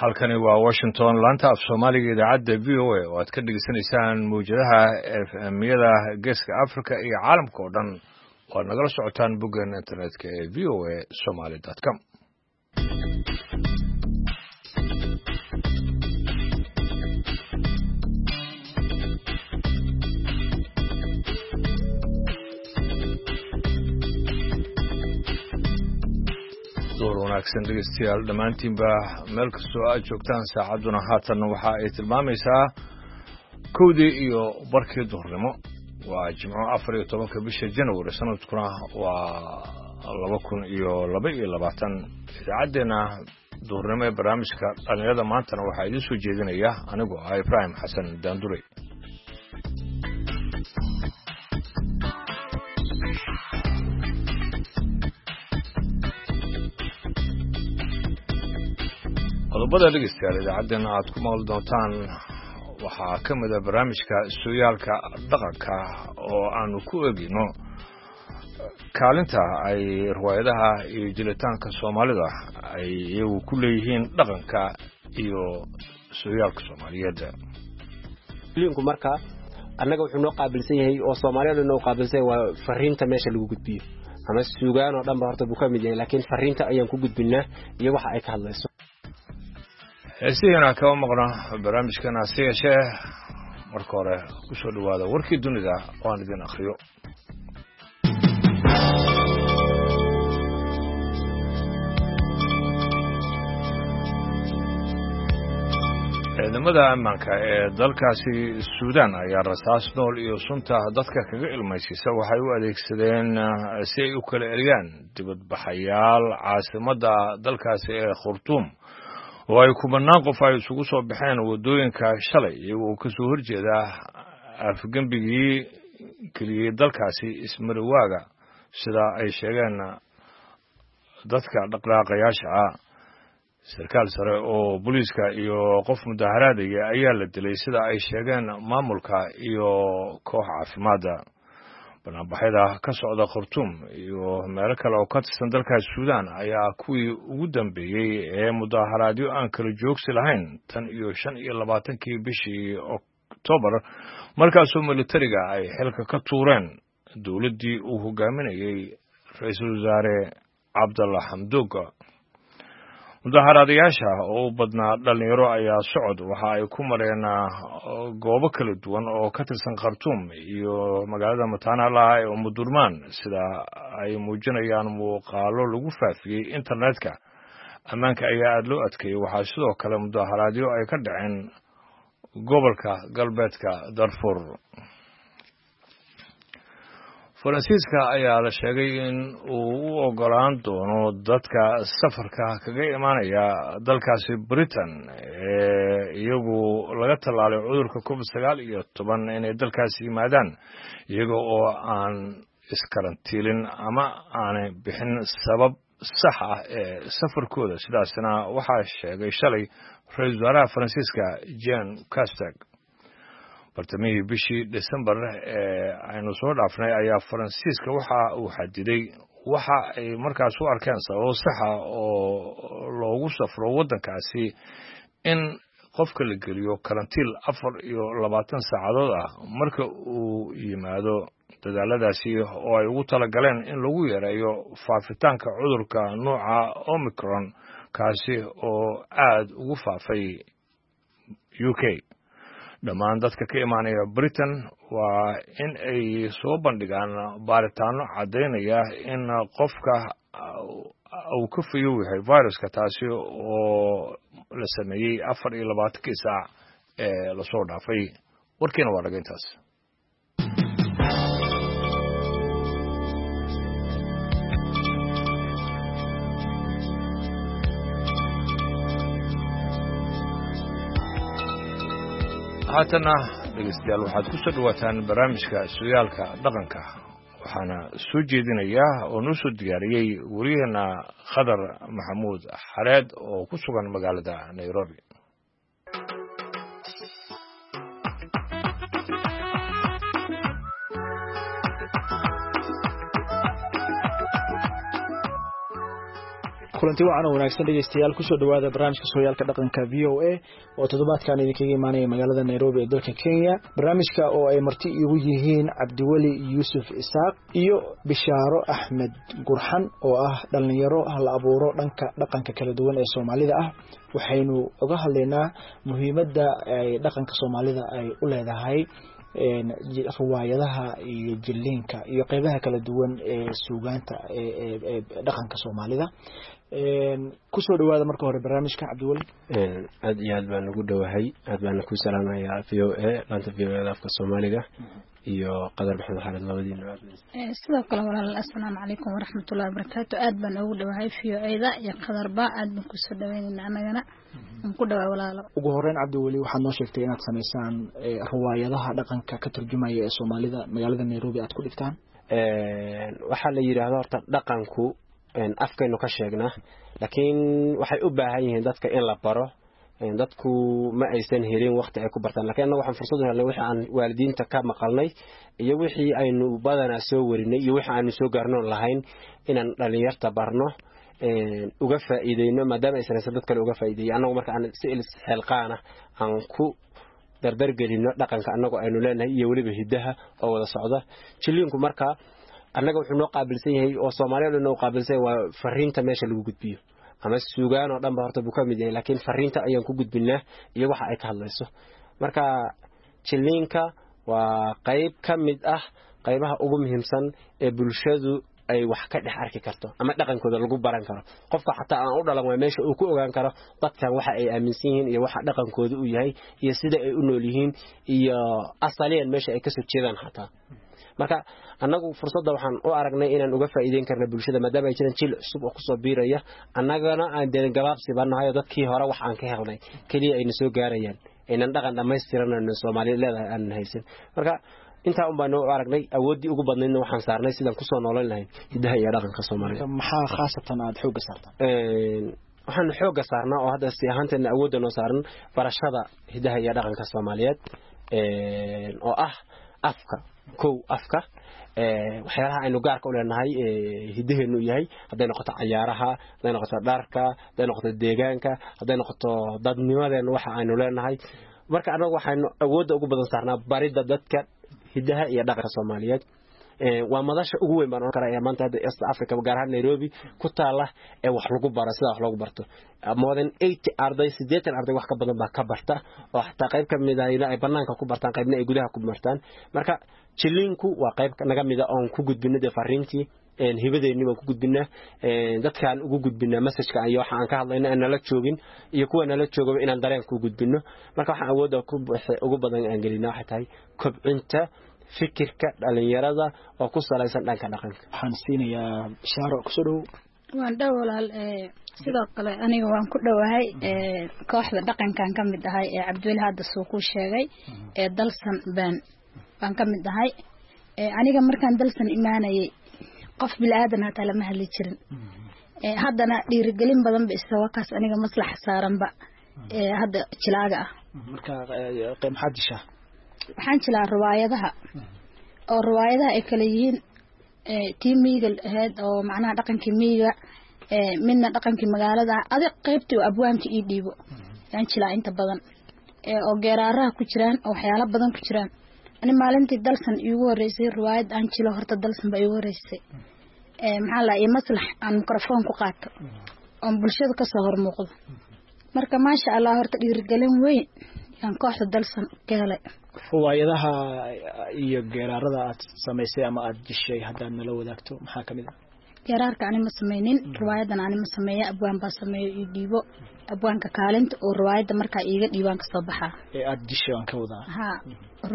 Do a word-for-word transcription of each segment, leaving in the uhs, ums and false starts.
Halkani waa Washington, laanta af Soomaaliga, idaacadda V O A oo aad ka dhegeysanaysaan mawjadaha F M-yada Geeska Africa iyo caalamka oo dhan oo aad nagala socotaan boggeena internetka ee V O A Somali com. Door wanaagsan, dhegeystayaal, dhammaantiinba meel kastoo aad joogtaan. Saacadduna haatan waxa ay tilmaamaysaa kowdii iyo barkii duhurnimo. Waa Jimco, afar iyo tobanka bisha January, sanadkuna waa laba kun iyo laba iyo labaatan. Idaacaddeenna duhurnimo ee barnaamijka dhalinyarada maantana waxaa idiin soo jeedinaya anigoo ah Ibraahim Xasan Daanduray. Qodobada, dhegeystayaal, idaacaddeenna aad ku maqli doontaan waxaa ka mid a barnaamijka sooyaalka dhaqanka oo aanu ku eegino kaalinta ay riwaayadaha iyo jilitaanka Soomaalida ay iyagu ku leeyihiin dhaqanka iyo sooyaalka Soomaaliyeed. Linku marka annaga wuxuu noo qaabilsan yahay oo Soomaaliyadu noo qaabilsan yahay waa fariinta meesha lagu gudbiyo ama suugaan oo dhan ba horta buu ka mid yahay, laakiin fariinta ayaan ku gudbinaa iyo waxa ay ka hadlayso. Heesihiina kama maqno barnaamijkan, hase yeeshee marka hore ku soo dhowaada warkii dunida oo aan idin akhriyo. Ciidamada ammaanka ee dalkaasi Suudaan ayaa rasaas nool iyo sunta dadka kaga ilmaysiisa waxay u adeegsadeen si ay u kala eriyaan dibadbaxayaal caasimadda dalkaasi ee Khartuum, oo ay kumanaan qof ay isugu soo baxeen waddooyinka shalay, iyagoo ka soo horjeeda afgembigii geliyey dalkaasi ismariwaaga, sida ay sheegeen dadka dhaqdhaqaaqayaasha ah. Sarkaal sare oo booliiska iyo qof mudaharaadaya ayaa la dilay, sida ay sheegeen maamulka iyo koox caafimaadda. Banaanbaxyada ka socda Khartuum iyo meelo kale oo ka tirsan dalkaas Suudaan ayaa kuwii ugu dambeeyey ee mudaharaadyo aan kala joogsi lahayn tan iyo shan iyo labaatankii bishii Oktoobar, markaasoo militariga ay xilka ka tuureen dowladdii uu hogaaminayey ra-iisul wasaare Cabdalla Xamduug. Mudaharaadayaasha oo u badnaa dhalinyaro ayaa socod waxa ay ku mareen goobo kala duwan oo ka tirsan Khartuum iyo magaalada mataanaha ee Umudurmaan, sida ay muujinayaan muuqaalo lagu faafiyey internetka. Ammaanka ayaa aada loo adkeeyey. Waxaa sidoo kale mudaharaadyo ay ka dhaceen gobolka galbeedka Darfur. Faransiiska ayaa la sheegay in uu u ogolaan doono dadka safarka kaga imaanaya dalkaasi Britain ee iyagu laga tallaalay cudurka Covid sagaal iyo toban inay dalkaasi yimaadaan, iyaga oo aan iskarantiilin ama aanay bixin sabab sax ah ee safarkooda. Sidaasna waxaa sheegay shalay ra-iisul wasaaraha Faransiiska Jean Castex. Bartamihii bishii December ee aynu soo dhaafnay ayaa Faransiiska waxa uu xadiday waxa ay markaas u arkeen sababo saxa oo loogu safro waddankaasi in qofka la geliyo karantiil afar iyo labaatan saacadood ah marka uu yimaado, dadaaladaasi oo ay ugu talagaleen in lagu yareeyo faafitaanka cudurka nooca Omicron, kaasi oo aad ugu faafay U K. Dhammaan dadka ka imaanaya Britain waa in ay soo bandhigaan baaritaano caddaynaya in qofka uu ka fayow yahay viruska, taasi oo la sameeyey afar iyo labaatankii saac ee lasoo dhaafay. Warkiina waa dhaga intaas. Haatanna, dhegeystayaal, waxaad ku soo dhawaataan barnaamijka sooyaalka dhaqanka. Waxaana soo jeedinaya oo noo soo diyaariyey wariyaheena Khadar Maxamuud Xareed oo ku sugan magaalada Nairobi. Kulanti wacan oo wanaagsan dhegeystayaal, kusoo dhawaada barnaamijka Sooyaalka Dhaqanka V O A oo toddobaadkan idinkaga imaanaya magaalada Nairobi ee dalka Kenya. Barnaamijka oo ay marti igu yihiin Cabdiweli Yuusuf Isaaq iyo Bishaaro Axmed Gurxan oo ah dhalinyaro hal abuuro dhanka dhaqanka kala duwan ee Soomaalida ah. Waxaynu uga hadlaynaa muhiimadda ay dhaqanka Soomaalida ay u leedahay riwaayadaha iyo jilliinka iyo qeybaha kala duwan ee suugaanta ee dhaqanka Soomaalida. Kusoo dhawaada marka hore barnaamijka, Cabdiweli. Aad iyo aad baan ugu dhowahay, aad baana ku salaamayaa V O A, laanta V O A da afka Soomaaliga, iyo Qadar Maxamed Xaalid, labadiina. Sidoo kale walaal, assalaamu calaykum waraxmatullahi wabarakaatu. Aad baan ugu dhowahay V O A da iyo Qadarba, aad baan kusoo dhaweynayna, anagana aan ku dhawaa walaalo. Ugu horeyn Cabdiweli, waxaad noo sheegtay inaad samaysaan riwaayadaha dhaqanka ka turjumaya ee Soomaalida, magaalada Nairobi aad ku dhigtaan. Waxaa la yidhaahda horta dhaqanku afkaynu ka sheegnaa, laakiin waxay u baahan yihiin dadka in la baro. Dadku ma aysan helin waqti ay ku bartaan, laakiin annaga waxaan fursad u helnay wixii aan waalidiinta ka maqalnay iyo wixii aynu badanaa soo warinay iyo wixii aanu soo gaarnoon lahayn inaan dhalinyarta barno, uga faa'iideyno, maadaama aysan haysan dad kale uga faa'iideeyay. Annagu marka aan si isxilqaana aan ku dardargelino dhaqanka annagu aynu leenahay iyo weliba hiddaha oo wada socda. Jilliinku marka annaga wuxuu noo qaabilsan yahay oo Soomaaliya dhan noo qaabilsan yahay waa fariinta meesha lagu gudbiyo, ama suugaan oo dhan ba horta buu ka mid yahay, laakiin fariinta ayaan ku gudbinaa iyo waxa ay ka hadlayso. Marka jilliinka waa qayb ka mid ah qaybaha ugu muhiimsan ee bulshadu ay wax ka dhex arki karto ama dhaqankooda lagu baran karo. Qofka xataa aan u dhalan waa meesha uu ku ogaan karo dadkan waxa ay aaminsan yihiin iyo waxa dhaqankooda uu yahay iyo sida ay u nool yihiin iyo asaliyan meesha ay kasoo jeedaan xataa. Marka annagu fursadda waxaan u aragnay inaan uga faa'iideyn karna bulshada, maadaama ay jiraan jiil cusub oo kusoo biiraya, annagana aan dee gabaabsi baan nahay oo dadkii hore wax aan ka helnay keliya ayna soo gaarayaan, aynan dhaqan dhammaystiran ayna Soomaaliya leedahay aanan haysan. Marka intaa un baanu u aragnay, awooddii ugu badnaydna waxaan saarnay sidaan kusoo noolan lahayn hiddaha iyo dhaqanka Soomaalida. Maxaa khaasatan aada xoogga saartaan? Waxaanu xoogga saarnaa oo hadda si ahaanteedna awoodda noo saaran barashada hiddaha iyo dhaqanka Soomaaliyeed oo ah afka, kow afka, waxyaalaha aynu gaarka u leenahay hiddaheenu yahay, hadday noqoto cayaaraha, hadday noqoto dharka, hadday noqoto deegaanka, hadday noqoto dadnimadeena waxa aynu leenahay. Marka annagu waxaynu awoodda ugu badan saarnaa baridda dadka hiddaha iyo dhaqanka Soomaaliyeed. Waa madasha ugu weyn baan oran karaa ee maanta hadda East Africa, gaar ahaan Nairobi ku taala, ee wax lagu baro, sida wax loogu barto. More than eighty arday, siddeetan arday wax ka badan baa ka barta, oo xataa qayb ka mid ahna ay banaanka ku bartaan, qaybna ay gudaha ku bartaan. Marka jilliinku waa qayb naga mid ah oon ku gudbino dee fariintii hibadeennii baan ku gudbinaa, dadkaan ugu gudbinaa messageka iyo waxa aan ka hadlayno aan nala joogin iyo kuwa nala joogaba inaan dareen ku gudbino. Marka waxaan awoodda ugu badan aan gelinaa waxay tahay kobcinta fikirka dhalinyarada oo ku salaysan dhanka dhaqanka. Waxaan siinayaa Bishaaro, kusoo dhow. Waan dhow walaal. Sidoo kale aniga waan ku dhowahay, kooxda dhaqankan ka mid ahay ee Cabdiweli hadda suu ku sheegay ee Dalsan baan baan ka mid ahay. Aniga markaan Dalsan imaanayay qof bilaadan hataa lama hadli jirin, haddana dhiirigelin badan ba isaga kaas aniga maslaxa saaranba hadda jilaaga ah. Marka maxaad dishaa? Waxaan jilaa riwaayadaha, oo riwaayadaha ay kala yihiin tii miyiga ahayd oo macnaha dhaqankii miyiga, midna dhaqankii magaalada, adig qaybtii oo abwaanka ii dhiibo yaan jilaa inta badan, oo geeraaraha ku jiraan oo waxyaalo badan ku jiraan. Ani maalintii Dalsan iigu horeysay riwaayad aan jilo, horta Dalsan baa iigu horeysay, maxaa la iyo maslax aan mikrafoon ku qaato oon bulshada kasoo hor muuqdo. Marka maasha Allah horta dhiirigelin weyn yaan kooxda Dalsan ka helay. Riwaayadaha iyo geeraarada aad samaysay ama aad jishay haddaad nala wadaagto maxaa kamid ah? Geeraarka ani ma sameynin, riwaayadan ani ma sameeya, abwaan baa sameeyo ii dhiibo. Abwaanka kaalinta oo riwaayadda markaa iiga dhiibaan kasoo baxaa ee aad jishay waan ka wadaa. Ha,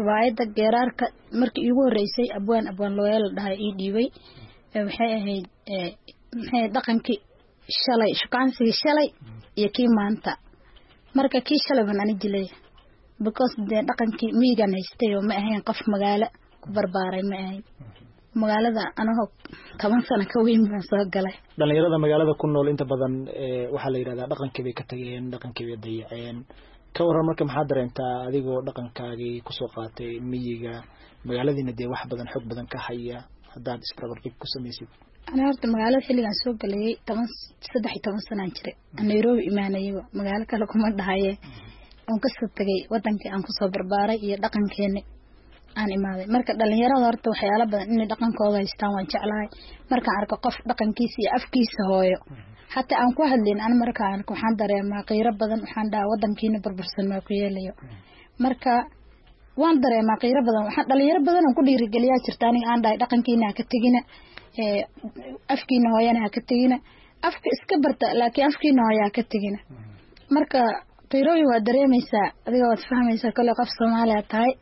riwaayadda geeraarka markii iigu horeysay abwaan abwaan looyal la dhahay ii dhiibay, waxay ahayd maxay dhaqankii shalay, shukaansigii shalay iyo kii maanta. Marka kii shalay baan ani jilay, because dee dhaqankii miyigan haystay oo ma ahayn qof magaalo ku barbaaray, ma ahayn magaalada anagoo toban sano ka weyn baan soo galay. Dhalinyarada magaalada ku nool inta badan waxaa la yidhahdaa dhaqankii bay ka tageen, dhaqankii bay dayaceen. Ka warran marka, maxaa dareentaa adigoo dhaqankaagii kusoo qaatay miyiga, magaaladiina dee wax badan xog badan ka haya, haddaad isbarbardhig ku samaysid? Ana horta magaalada xilligaan soo galayay toban saddex iyo toban sanaan jiray, Nairobi imaanayaba, magaalo kale kuma dhahaye, oon kasoo tegay wadankii aan kusoo barbaaray iyo dhaqankeeni aan imaaday. Marka dhalinyarada horta waxyaalo badan inay dhaqankooda haystaan waan jeclahay. Markaan arko qof dhaqankiisa iyo afkiisa hooyo xataa aan ku hadlin, an markaan arko waxaan dareemaa qiiro badan. Waxaan dhahaa wadankiina burbursan maa ku yeelayo. Marka waan dareemaa qiiro badan. Waxaan dhalinyaro badan aan ku dhiirigeliyaa jirta aniga aan dhahay dhaqankiina ha ka tegina, afkiina hooyana ha ka tegina, afka iska barta laakiin afkiina hooya ha ka tegina. Marka qiirooyin waa dareemaysaa, adiga waad fahmaysaa kole qof Soomaaliya tahay.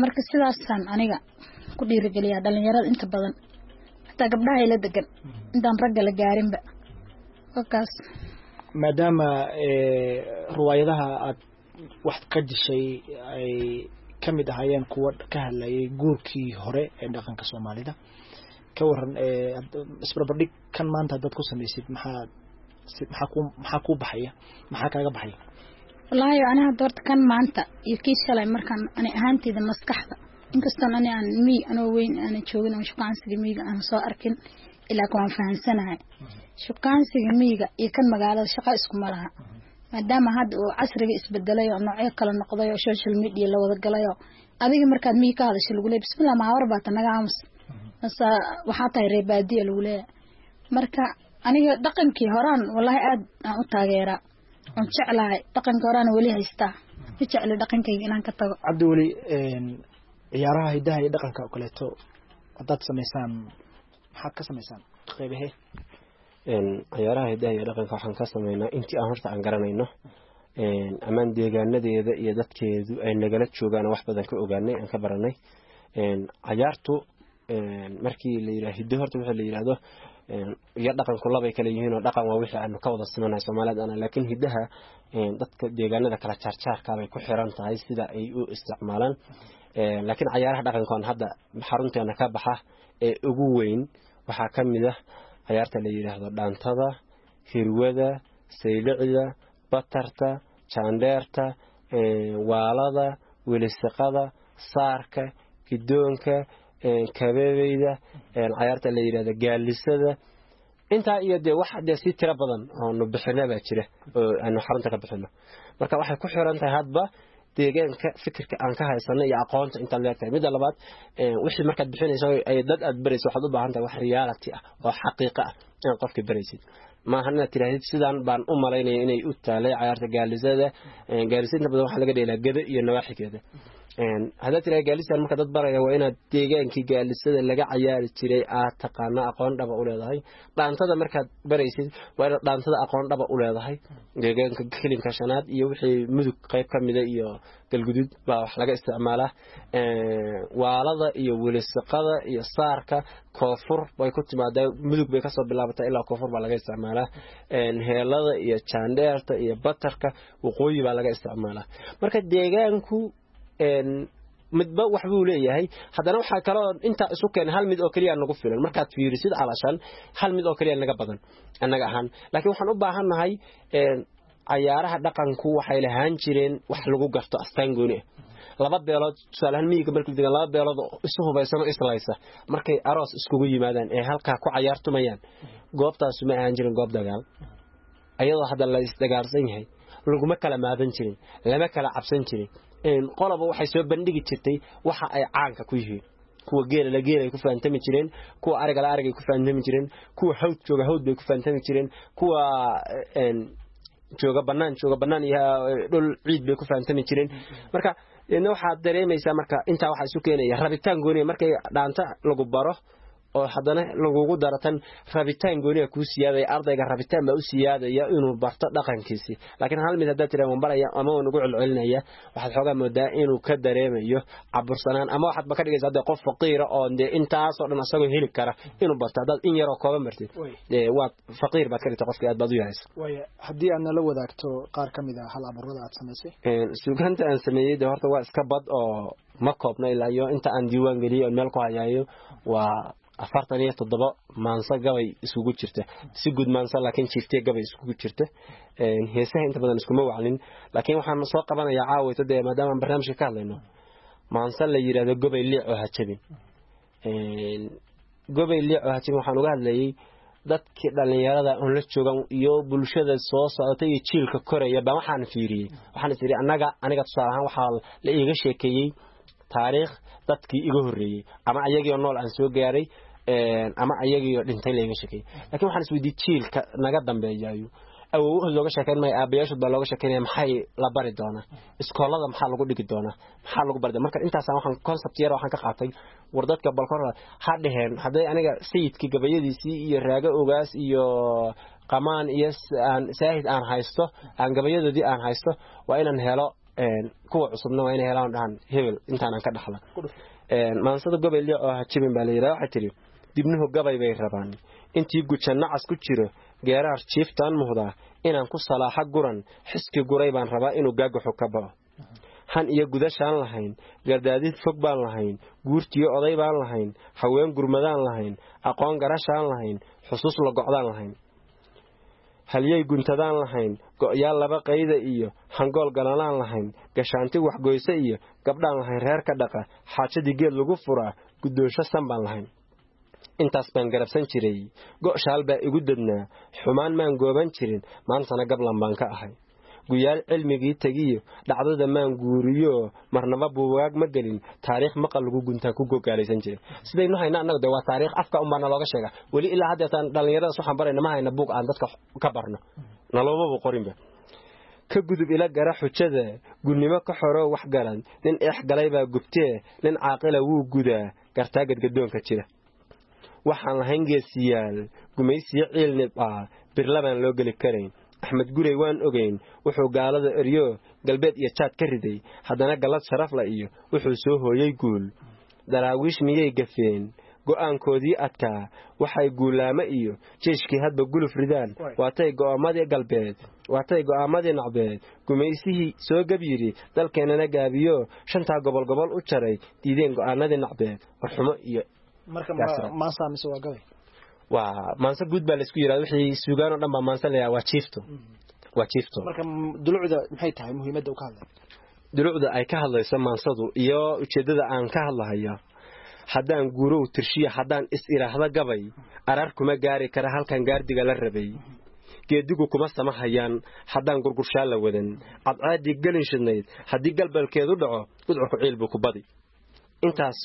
Marka sidaasaan aniga ku dhiirigeliyaa dhalinyarada inta badan, xataa gabdhaha ila degan intaan ragga la gaarinba wakaas. Maadaama riwaayadaha aad wax ka dishay ay ka mid ahaayeen kuwa ka hadlayay guurkii hore ee dhaqanka Soomaalida, ka waran isbarbardhig kan maanta haddaad ku samaysid, maxaa maxaa ku maxaa kuu baxaya, maxaa kaaga baxaya? Wallaahi ani hadda horta kan maanta iyo kii shalay markaan ani ahaanteyda maskaxda, inkastoon ani aan miy anoo weyn aanan joogin oo shukaansiga miyiga aan soo arkin, ilaa waan fahansanahay shukaansiga miyiga iyo kan magaalada shaqo iskuma laha. Maadaama hadda uu casriga isbedelay oo noocyo kala noqday oo social media la wada galay, oo adiga markaad miyi ka hadasho lagu leeyahay bismillah mahawar baa ta naga aamus, mase waxaa tahay reer baadiya lagu leeyahay. Marka aniga dhaqankii horaan wallaahi aad aan u taageeraa oon jeclahay, dhaqanka horaan weli haystaa, ma jecli dhaqankayga inaan ka tago. Cabdiweli, ciyaaraha hidaha iyo dhaqanka oo kaleeto haddaad samaysaan, maxaad ka samaysaan qeybahee? Ciyaaraha hidaha iyo dhaqanka waxaan ka sameynaa intii aan horta aan garanayno amaan deegaanadeeda iyo dadkeedu ay nagala joogaan, wax badan ka ogaanay, aan ka baranay. Cayaartu markii la yidhaha hiddo, horta wixii la yidhaahdo iyo dhaqanku labay kala yihiin, oo dhaqan waa wixii aanu ka wada simanahay Soomaaliyeed ana, laakiin hiddaha dadka deegaanada kala jaarjaarka bay ku xiran tahay sida ay u isticmaalaan. Laakiin cayaaraha dhaqankoon hadda xarunteena ka baxa ee ugu weyn waxaa ka mid ah cayaarta la yidhaahdo dhaantada, hirwada, saylicda, batarta, jaandheerta, waalada, welisiqada, saarka, gidoonka, kabeebeyda, cayaarta la yidhahdo gaalisada. Intaa iyo dee wax dee si tiro badan oonu bixina baa jira oo aanu xarunta ka bixino. Marka waxay ku xiran tahay hadba deegaanka fikirka aan ka haysano iyo aqoonta intaad leegtahay. Midda labaad, wixii markaad bixinayso ay dad aad barayso, waxaad u baahan tahay wax reality ah oo xaqiiqo ah inaad qofka baraysid. Maaha inaad tirahdid sidaan baan u malaynaya inay u taalay cayaarta gaalisada. Gaalisada inta badan waxaa laga dheelaa gado iyo nawaaxigeeda. Haddaad tiraha gaalisaan marka dad baraya, waa inaad deegaankii gaalisada laga cayaari jiray aad taqaana, aqoon dhaba u leedahay. Dhaantada markaad baraysid waa inaad dhaantada aqoon dhaba u leedahay. Deegaanka kelimka shanaad iyo wixii mudug qayb ka mida iyo galgudud baa wax laga isticmaalaa. Waalada iyo welisiqada iyo saarka koonfur bay ku timaadaa, mudug bay kasoo bilaabataa ilaa koonfur baa laga isticmaalaa. Heelada iyo jaandheerta iyo batarka waqooyi baa laga isticmaalaa. Marka deegaanku midba wax buu leeyahay. Haddana waxaa kaloo intaa isu keenay hal mid oo keliya nagu filan. Markaad fiirisid calashan hal mid oo keliya naga badan annaga ahaan, laakiin waxaan u baahannahay cayaaraha dhaqanku waxay lahaan jireen wax lagu garto astaan gooni ah. Laba beelood tusaale ahaan miyiga markii degan, laba beelood oo isu hubaysan oo islaysa markay aroos iskugu yimaadaan ee halkaa ku cayaartumayaan, goobtaasu ma ahaan jirin goob dagaal. Ayadoo hadda la isdagaalsan yahay laguma kala maadan jirin, lama kala cabsan jirin. Qoloba waxay soo bandhigi jirtay waxa ay caanka ku yihiin. Kuwa geela la geela ay ku faantami jireen, kuwa ariga la ariga ay ku faantami jireen, kuwa hawd jooga hawd bay ku faantami jireen, kuwa jooga bannaan jooga bannaan iyo dhul ciid bay ku faantami jireen. Marka deedna waxaad dareemaysaa marka intaa waxaa isu keenaya rabitaan gooniya. Markay dhaanta lagu baro oo haddana lagugu daro tan, rabitaan gooniya kuu siyaadaya, ardayga rabitaan baa u siyaadaya inuu barto dhaqankiisii. Laakiin hal mid haddaad tiraa waan baraya ama waan ugu celcelinaya, waxaad xoogaa moodaa inuu ka dareemayo cabursanaan, ama waxaad ba ka dhigaysaa dee qof faqiira oo dee intaasoo dhan asagoo heli kara inuu barto. Haddaad in yaroo kooban bartid dee waad faqiir baad ka dhigtay qofkii, aad baad u yaraysa. Waaya, haddii aad nala wadaagto qaar ka mid ah hal abuurada aad samaysay. Suugaanta aan sameeyey dee horta waa iska bad oo ma koobna. Ilaa iyo inta aan diiwaan geliyey oon meel ku hayaayo waa afartan iyo toddoba maanso gabay isugu jirta, si guud maanso laakiin jiiftiya gabay isugu jirta. Heesaha inta badan iskuma waclin, laakiin waxaan soo qabanayaa caawayto dee maadaama aan barnaamijka ka hadlayno maanso la yidhaahdo gobay liic oo ha jabin. Gobay Liico Hajim waxaan uga hadlayay dadkii dhallinyarada oon la joogan iyo bulshada soo socota iyo jiilka koraya baan waxaan fiiriyey. Waxaan is idhi annaga, aniga tusaale ahaan waxaa la iiga sheekeeyey taariikh dadkii iga horreeyey, ama ayagiioo nool aan soo gaaray ama ayagiioo dhintay la iiga sheekeeyey. Laakiin waxaan isweydiiyey jiilka naga dambeeyayo awowahood looga sheekeyn maayo, aabayaashood baa looga sheekeynaya, maxay la bari doonaa iskoolada, maxaa lagu dhigi doonaa, maxaa lagu bari doonaa. Marka intaasaan waxaan concept yar waxaan ka qaatay war dadka balkor ha dheheen hadday aniga sayidkii gabayadiisii iyo raago ogaas iyo qamaan iyo aan saahid aan haysto, aan gabayadoodii aan haysto, waa inaan helo kuwa cusubna, waa inay helaan dhahan hebel intaanaan ka dhaxla. Maansada Gobay Liic oo Hajibin baa la yidhaha. Waxay tidhi dibnuhu gabay bay rabaan intii guja nacas ku jiro, geeraar jiiftaan muhdaa inaan ku salaaxo guran, xiski guray baan rabaa inuu gaagaxo ka bao. Han iyo gudashaan lahayn, gardaadid fog baan lahayn, guurtiyo oday baan lahayn, haween gurmadaan lahayn, aqoon garashaan lahayn, xusuus la gocdaan lahayn, halyey guntadaan lahayn, go'yaal laba qayda iyo hangool galalaan lahayn, gashaanti waxgoyse iyo gabdhaan lahayn reer ka dhaqa, xaajadii geed lagu furaa guddoonsho san baan lahayn. Intaas baan garabsan jiray, go'shaal baa igu dadnaa, xumaan maan gooban jirin, maantana gablan baan ka ahay. Guyaal cilmigii tegiyo dhacdada maan guuriyo, marnaba buugaag ma gelin, taariikh maqal lagu guntaan ku gogaalaysan jiray. Sidaynu hayna annagu de waa taariikh afka unbaa nalooga sheega weli ilaa haddeetaan dhallinyaradaas waxaan barayna ma hayna buug aan dadka ka barno, naloomaba qorinba. Ka gudub ila gara xujada gunnimo ka xoroo wax garan, nin eex galay baa gubtee, nin caaqila wuu gudaa gartaa gadgadoonka jira. Waxaan lahayn geesiyaal gumaysiyo ciil nibcaa, birlabaan loo geli karayn. Axmed Gurey waan ogeyn wuxuu gaalada eryo galbeed iyo jaad ka riday, haddana gallad sharafla iyo wuxuu soo hooyey guul. Daraawiish miyay gafeen go'aankoodii adkaa? Waxay guulaamo iyo jeeshkii hadba guluf ridaan, waatay go'aamadii galbeed, waatay go'aamadii nacbeed, gumaysihii soo gab yidhi dalkeennana gaabiyo, shantaa gobol gobol u jaray, diideen go'aanadii nacbeed warxumo iyo marka maansa mise waa gabay? Waa maanse guud baa laisku yidhahda, wixii suugaan oo dhan baa maanse la yidhahda. Waa jiifto, waa jiifto. Marka dulucda maxay tahay muhiimadda uu ka hadlay? Dulucda ay ka hadlayso maansadu iyo ujeeddada aan ka hadlahayo, haddaan guurow tirshiya, haddaan is idhaahda gabay, arar kuma gaari kara halkan gaardiga la rabay. Geedigu kuma samahayaan haddaan gurgurshaa la wadan, cadceeddii gelin shidnayd haddii galbalkeedu dhaco, gudcurku ciil buu ku badi. Intaas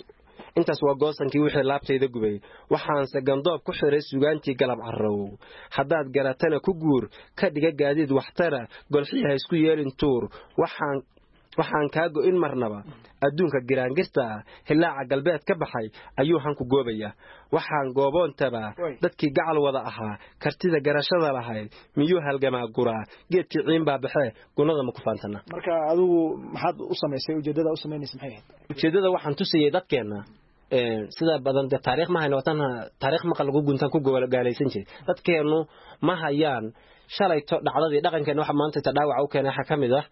intaas waa goosankii wixii laabtayda gubay, waxaanse gandoob ku xiray sugaantii galab carrow. Haddaad garatana ku guur, ka dhiga gaadiid waxtara, golxii ha isku yeelin tuur. Waxaan waxaan kaa go'in marnaba adduunka giraangirta ah, hillaaca galbeed ka baxay ayuu hanku goobayaa. Waxaan gooboontabaa dadkii gacal wada ahaa, kartida garashada lahayd miyuu halgamaa guraa, geedkii ciin baa baxee, gunnada ma ku faantana. Marka adigu maxaad u samaysay, ujeeddada u samaynaysa maxay ahayd? Ujeeddada waxaan tusayay dadkeenna sida badan dee taariikh ma hayno, watan taariikh maqal lagu guntaan ku gaalaysan jiray. Dadkeennu ma hayaan shalayto dhacdadii dhaqankeena. Waxa maanta ta dhaawaca u keenay waxaa ka mid ah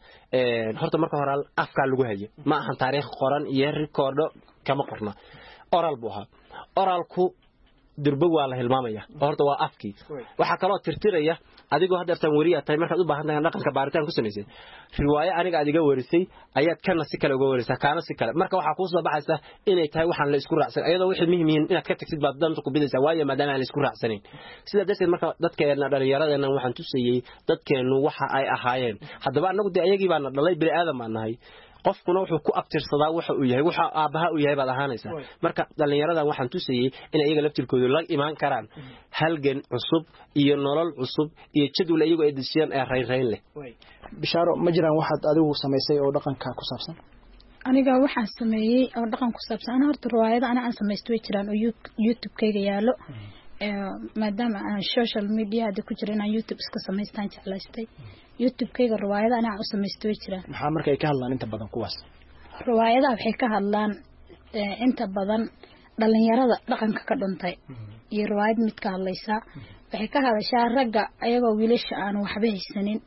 horta marka hore afkaa lagu hayo, ma ahan taariikh qoran iyo rikoordho kama qorna, oral buu ahaa. Oralku durbo waa la hilmaamaya, horta waa afkii. Waxaa kaloo tirtiraya adigoo haddeertaan weriyaa tahay, markaad u baahan tahay dhaqanka baaritaan ku samaysay riwaayo aniga aad iga warisay ayaad kana si kale uga warisaa, kaana si kale. Marka waxaa kuu soo baxaysa inay tahay waxaan la isku raacsan, iyadoo wixii muhiim yihiin inaad ka tagtid baad danta ku bidaysaa, waayo maadaama aan la isku raacsanayn. Sidaa darteed marka dadkeenna dhallinyaradeenna waxaan tusayey dadkeennu waxa ay ahaayeen. Haddaba annagu dee ayagii baana dhalay, bini aadan baan nahay, qofkuna wuxuu ku abtirsadaa waxa uu yahay, waxa aabbaha uu yahay baad ahaanaysaa. Marka dhallinyaradan waxaan tusayey in iyaga laftirkoodu la imaan karaan halgan cusub iyo nolol cusub iyo jadwal iyagu ay dejiyaan ee raynrayn leh. Bishaaro, ma jiraan waxaad adigu samaysay oo dhaqanka ku saabsan? Aniga waxaan sameeyey oo dhaqan ku saabsan, ana horta riwaayado ana aan samaysto way jiraan oo YouTube-kayga yaalo, maadaama aan social media hadda ku jira inaan YouTube iska samaystaan jeclaystay. YouTube-kayga riwaayado ana aan u samaysto way jiraan. Maxaa marka ay ka hadlaan inta badan kuwaas? Riwaayadaha waxay ka hadlaan inta badan dhalinyarada dhaqanka ka dhuntay iyo riwaayad mid ka hadlaysaa. Waxay ka hadashaa ragga ayagoo wiilasha aan waxba haysanin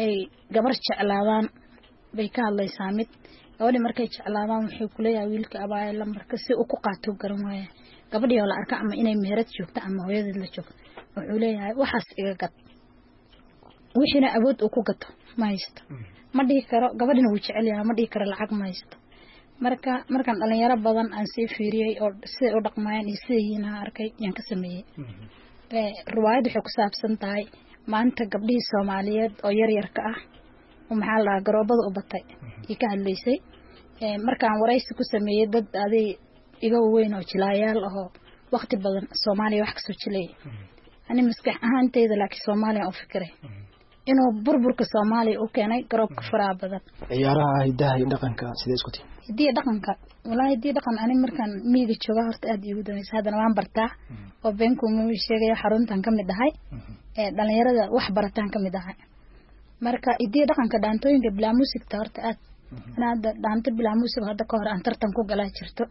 ay gabar jeclaadaan bay ka hadlaysaa. Mid gabadhii markay jeclaadaan wuxuu kuleeyahay wiilka abaayo lambarka si uu ku qaato garan waaya. Gabadhii oo la arka ama inay meherad joogto ama hooyadeed la joogto wuxuu leeyahay waxaas iga gad, wixiina awood uu ku gato ma haysto, ma dhihi karo. Gabadhina wuu jecel yahay, ma dhihi karo lacag ma haysto. Marka markaan dhalinyaro badan aan sii fiiriyey oo siday u dhaqmayaan iyo siday yihiin aan arkay yaan ka sameeyey. Riwaayad waxay ku saabsan tahay maanta gabdhihii Soomaaliyeed oo yaryarka ah oo maxaa la dhahaa garoobada u batay iyo ka hadlaysay. Markaan waraysi ku sameeyey dad aday iga weyn oo jilaayaal ahoo waqti badan Soomaaliya wax kasoo jilayay, ani maskax ahaanteyda laakiin Soomaaliya u fikiray inuu burburka Soomaaliya u keenay garoobka faraha badan. Ciyaaraha hidaha iyo dhaqanka sidee isku tihiin? Hidiya dhaqanka, wallaahi hidiya dhaqan ani markaan miyiga jooga horta aad iigu dambaysa, haddana waan bartaa oo beenkuuma sheegaya, xaruntan ka mid ahay ee dhalinyarada wax barataan ka mid ahay. Marka hidiya dhaqanka dhaantooyinka bilaa muusigta horta aad ana hadda dhaanto bilaa muusig hadda ka hor aan tartan ku galaa jirto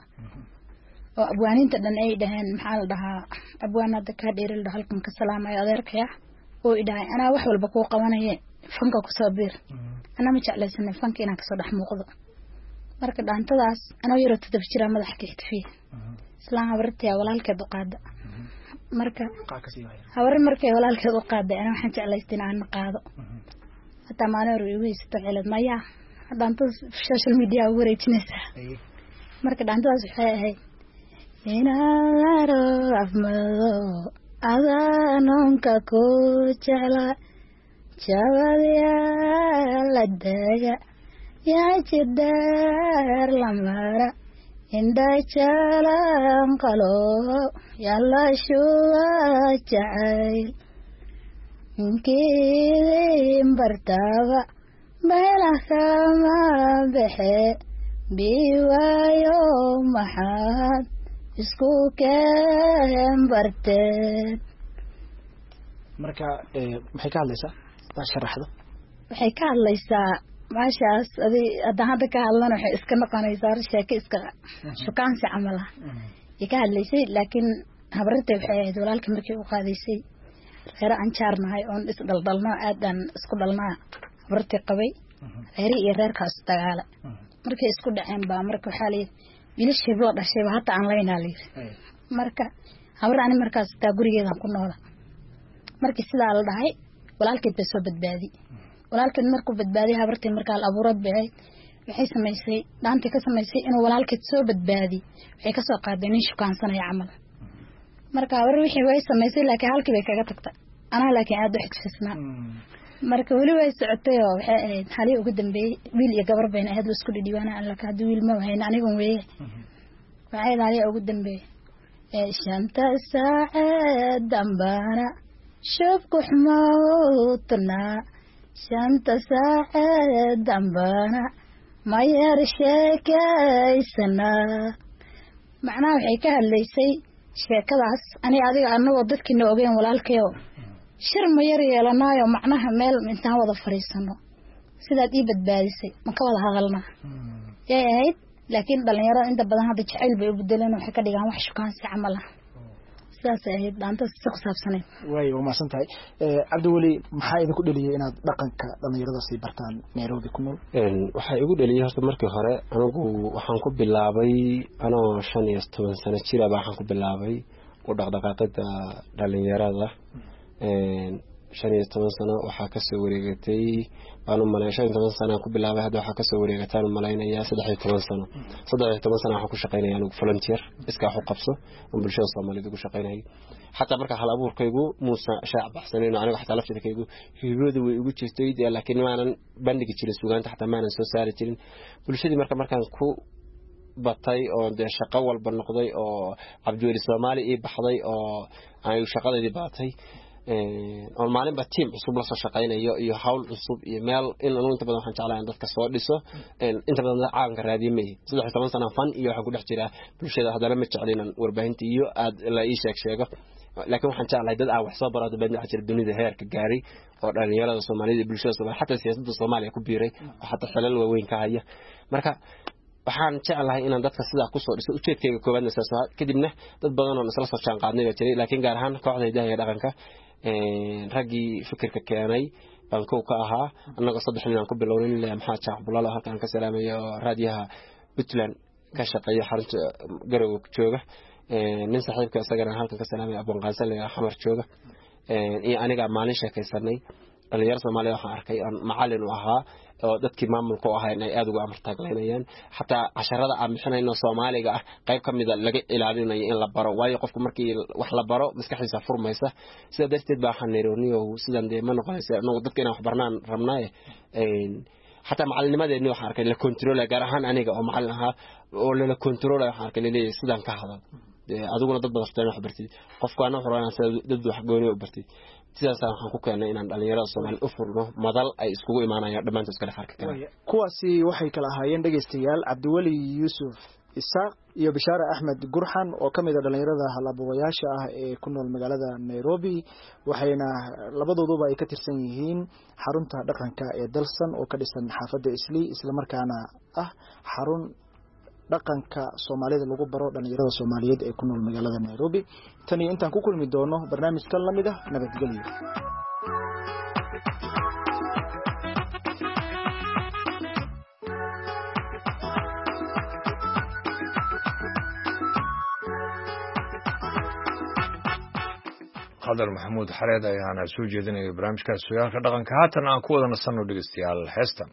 oo abwaaniinta dhan ay dhaheen maxaa la dhahaa abwaan hadda kaa dheeri la halkan ka salaamayo adeerkaya oo i dhahay anaa wax walba kuu qabanaye fanka kusoo biir, anaa ma jeclaysanay fanka inaan kasoo dhex muuqdo. Marka dhaantadaas anoo yaroo toddoba jiraa madaxa ka xidfiye islaan habartayaa walaalkeed u qaada. Marka habar markay walaalkeed u qaaday anaa waxaan jeclaystay in aan qaado, hataa maalin hore igu haysato cilad maya dhaantadaas social media ugu wareejinaysaa. Marka dhaantadaas waxay ahayd inaaro afmado adanoonka ku jecla jabadyaala daga yaa jidaar lamara indha jalan qalo yalla shuba jacayl inkiidin bartaba meelah kama baxe biwaayo maxaad isku keen barteen. Marka maxay ka hadlaysaa? Sharaxdo. Waxay ka hadlaysaa maashaas adi haddaan hadda ka hadlana waxay iska noqonaysaa sheeko iska shukaansi camal ah ay ka hadlaysay. Laakiin habarintay waxay ahayd walaalkii markii u qaadaysay reere aan jaarnahay oon is dhaldhalnaa aad aan isku dhalnaa habartay qabay reeri iyo reerkaas dagaala markay isku dhaceen baa marka waxaa layidhi wiilashii loo dhashayba hata aan laynaa layidhi. Marka habar ani markaas taa gurigeedaan ku noola. Markii sidaa la dhahay walaalkeed bay soo badbaadi, walaalkeed markuu badbaadiyay habartii markaa la abuurad bay ahayd waxay samaysay dhaantii ka samaysay inuu walaalkeed soo badbaadi, waxay ka soo qaaday nin shukaansanaya camal. Marka habar wixii way samaysay laakiin halkii bay kaga tagtay, anaa laakiin aad u xigfisnaa. Marka weli way socotay oo waxay ahayd halii ugu dambeeyey wiil iyo gabar bayna ahayd la isku dhidhiibaana alla haddii wiil ma wahayn anigun weeye. Waxay ahayd halii ugu dambeeyey shanta saacee dambana shubku xumowtnaa shanta saacee dambana mayar sheekaysanaa. Macnaha waxay ka hadlaysay sheekadaas ani adiga anagoo dadkiina ogeen walaalkayo shir ma yar yeelanaayo macnaha meel intaan wada fariisano sidaad ii badbaadisay ma ka wada hadalnaa yay ahayd. Laakiin dhalinyarada inta badan hadda jacayl bay u bedeleen, waxay ka dhigaan wax shukaansi camal ah, sidaasay ahayd dhaantaas si ku saabsanayd. Way waa mahadsan tahay. Cabdiweli, maxaa idinku dhaliyay inaad dhaqanka dhalinyarada sii bartaan Nairobi ku nool? Waxaa igu dhaliyay horta markii hore anigu waxaan ku bilaabay anoo shan iyo toban sano jira baa waxaan ku bilaabay u dhaqdhaqaaqida dhalinyarada. Shan iyo toban sano waxaa kasoo wareegatay baan u malay shan iyo toban sano ku bilaabay, hadda waxaa kasoo wareegataan u malaynayaa saddex iyo toban sano. Saddex iyo toban sano waxaan ku shaqaynaya anigu volunteer iskaa wax u qabso oon bulshada Soomaaliyeed ugu shaqaynayay. Xataa marka hal abuurkaygu muusa shaac baxsanayn oo aniga xataa laftirkaygu hibadu way igu jirtay, laakiin maanan bandhigi jirin suugaanta, xataa maanan soo saari jirin bulshadii. Marka markaan ku batay oo dee shaqo walba noqday oo Cabdiweli Soomaali ii baxday oo ay shaqadeedii baatay oo maalinba tiim cusub la soo shaqaynayo iyo hawl cusub iyo meel in anu inta badan waxaan jeclahay in dadka soo dhiso, inta badan dad caalamka raadiye ma ihi. Saddex iyo toban sana fan iyo waxaan ku dhex jiraa bulshada, haddana ma jecli inaan warbaahinta iyo aad la ii sheeg sheego, laakiin waxaan jeclahay dad aan wax soo baro. Hadda waxaa jira dunida heerka gaaray oo dhalinyarada Soomaalida iyo bulshada Soomaaliya xataa siyaasadda Soomaaliya ku biiray oo xataa xilal waaweyn ka haya. Marka waxaan jeclahay inaan dadka sidaa kusoo dhiso, ujeedkayga koowaadna saas ahaa. Kadibna dad badan oo isla soo jaan qaadnay baa jiray, laakiin gaar ahaan kooxda hidaha iyo dhaqanka raggii fikirka keenay baan kow ka ahaa. Annagoo saddex nin aan ku bilownay, nin Maxamed Jaac Bulaalo halkaan ka salaamayo oo raadiyaha Puntland ka shaqeeya xarunta Garowe jooga, nin saaxiibka isagana halkan ka salaamaya Abwan Qaansan la Xamar jooga, iyo aniga maalin sheekaysanay Dhalinyaro Soomaaliya waxaan arkay aan macallin u ahaa oo dadkii maamulka u ahaa inay aad ugu amar taaglaynayaan, xataa casharada aan bixinayno Soomaaliga ah qayb ka mid a laga ilaalinayo in la baro, waayo qofku markii wax la baro maskaxdiisa furmaysa. Sidaa darteed baa waxaan niri niyow sidan dee ma noqonaysa, anagu dadka inaan wax barnaan rabnaaye. Xataa macalinimadeedni waxaan arkay la controlaya, gaar ahaan aniga oo macallin ahaa oo lala controlaya, waxaan arkay laleeyahay sidaan ka hadal adiguna dad badan wax bartid, qofkaana wuxuu rabaa inaad dad wax gooni u bartid. Sidaasaan waxaan ku keenay inaan dhalinyarada Soomaaliya u furno madal ay iskugu imaanayaan dhammaantood iskala farki karaan. Kuwaasi waxay kala ahaayeen dhegeystayaal Cabdiweli Yuusuf Isaaq iyo Bishaare Axmed Gurxan oo ka mid ah dhalinyarada hal-abuurayaasha ah ee ku nool magaalada Nairobi, waxayna labadooduba ay ka tirsan yihiin xarunta dhaqanka ee Dalsan oo ka dhisan xaafadda Islii, islamarkaana ah xarun dhaqanka Soomaalida lagu baro dhalinyarada Soomaaliyeed ee ku nool magaalada Nairobi. Tan iyo intaan ku kulmi doono barnaamijkan la mid ah, nabadgelyo. Qadar Maxamuud Xareed ayaana soo jeedinaya barnaamijkaas sooyaalka dhaqanka. Haatan aan ku wada nasanno dhegeystayaal heestan.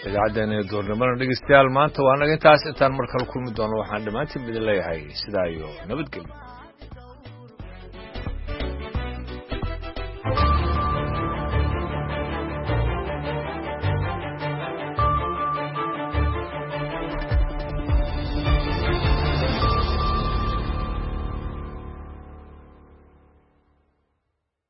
Idaacaddeena iyo duurnimada dhegeystayaal maanta waa naga intaas. Intaan mar kale kulmi doono waxaan dhammaantiin idin leeyahay sidaa iyo nabadgelyo.